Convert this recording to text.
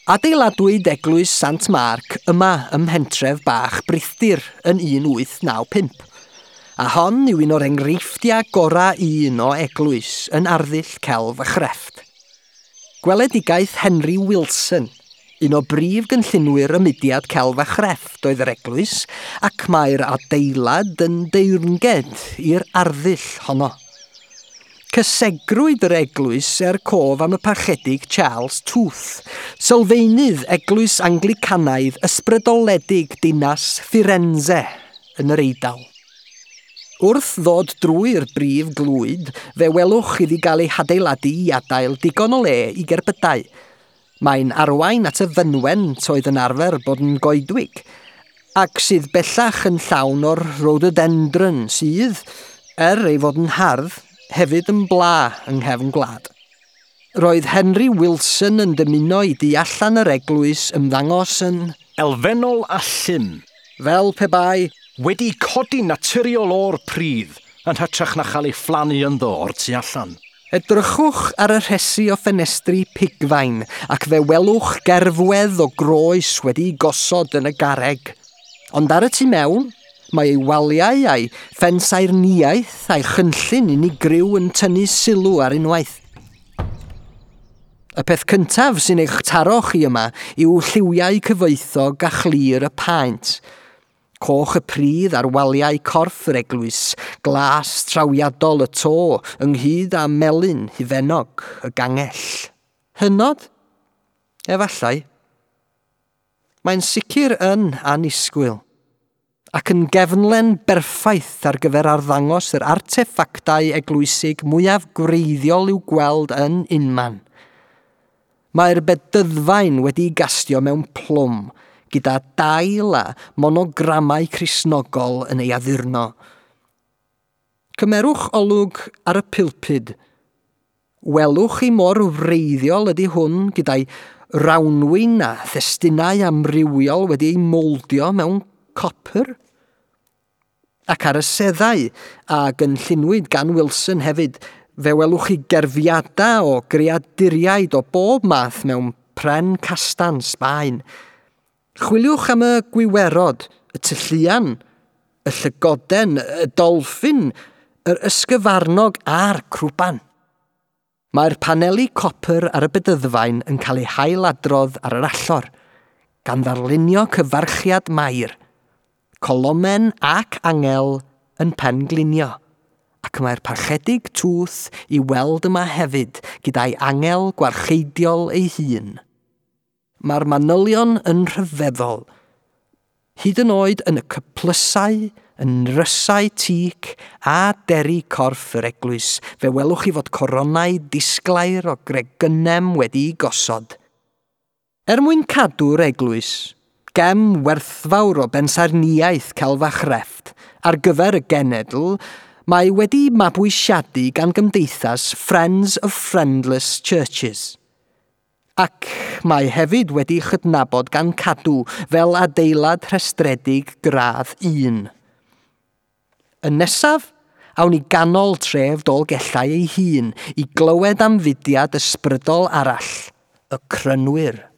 Adeiladwyd Eglwys Sant Marc yma ym mhentref bach Brithdir yn 1895, a hon yw un o'r enghreifftiau gorau un o eglwys yn arddull celf a chrefft. Gweledigaeth Henry Wilson, un o brif gynllunwyr y mudiad celf a chrefft oedd yr eglwys, ac mae'r adeilad yn deyrnged i'r arddull honno. Cysegrwyd yr eglwys er cof am y parchedig Charles Tooth, sylfaenydd eglwys Anglicanaidd ysbrydoledig dinas Firenze yn yr Eidal. Wrth ddod drwy'r brif glwyd, fe welwch iddi gael ei hadeiladu i adael digon o le i gerbydau. Mae'n arwain at y fynwent oedd yn arfer bod yn goedwig, ac sydd bellach yn llawn o'r rhododendron sydd, er ei fod yn hardd, hefyd yn bla yng nghefn gwlad. Roedd Henry Wilson yn dymuno i du allan yr eglwys ymddangos yn elfennol a llym, fel pe bai wedi codi naturiol o'r pridd yn hytrach na chael ei phlannu ynddo o'r tu allan. Edrychwch ar y rhesi o ffenestri pigfain ac fe welwch gerfwedd o groes wedi'i gosod yn y garreg. Ond ar y tu mewn, mae ei waliau a'i phensaernïaeth a'i chynllun unigryw yn tynnu sylw ar unwaith. Y peth cyntaf sy'n eich taro chi yma yw lliwiau cyfoethog a chlir y paent. Coch y pridd ar waliau corff yr eglwys, glas trawiadol y to, ynghyd â melyn hufennog y gangell. Hynod? Efallai. Mae'n sicr yn annisgwyl, ac yn gefnlen berffaith ar gyfer arddangos yr arteffactau eglwysig mwyaf gwreiddiol i'w gweld yn unman. Mae'r bedyddfaen wedi'i gastio mewn plwm, gyda dail a monogramau Cristnogol yn ei addurno. Cymerwch olwg ar y pulpud. Welwch chi mor wreiddiol ydy hwn gyda'i rawnwin a thestunau amrywiol wedi ei moldio mewn copr? Ac ar y seddau, a gynllunwyd gan Wilson hefyd, fe welwch chi gerfiadau o greaduriaid o bob math mewn pren castan Sbaen. Chwiliwch am y gwiwerod, y tylluan, y llygoden, y dolffin, yr ysgyfarnog a'r crwban. Mae'r paneli copr ar y bedyddfaen yn cael eu hailadrodd ar yr allor, gan ddarlunio cyfarchiad Mair, colomen ac angel yn penglinio, ac mae'r parchedig Tooth i weld yma hefyd gyda'i angel gwarcheidiol ei hun. Mae'r manylion yn rhyfeddol, hyd yn oed yn y cyplysau, yn nrysau tîc a deri corff yr eglwys, fe welwch chi fod coronau disglair o gregynnau wedi'u gosod. Er mwyn cadw'r eglwys, gem werthfawr o bensaernïaeth celf a chrefft ar gyfer y genedl, mae wedi mabwysiadu gan gymdeithas Friends of Friendless Churches. Ac mae hefyd wedi chydnabod gan Cadw fel adeilad rhestredig gradd 1. Yn nesaf, awn i ganol tref Dolgellau ei hun i glywed am fudiad ysbrydol arall, y Crynwyr.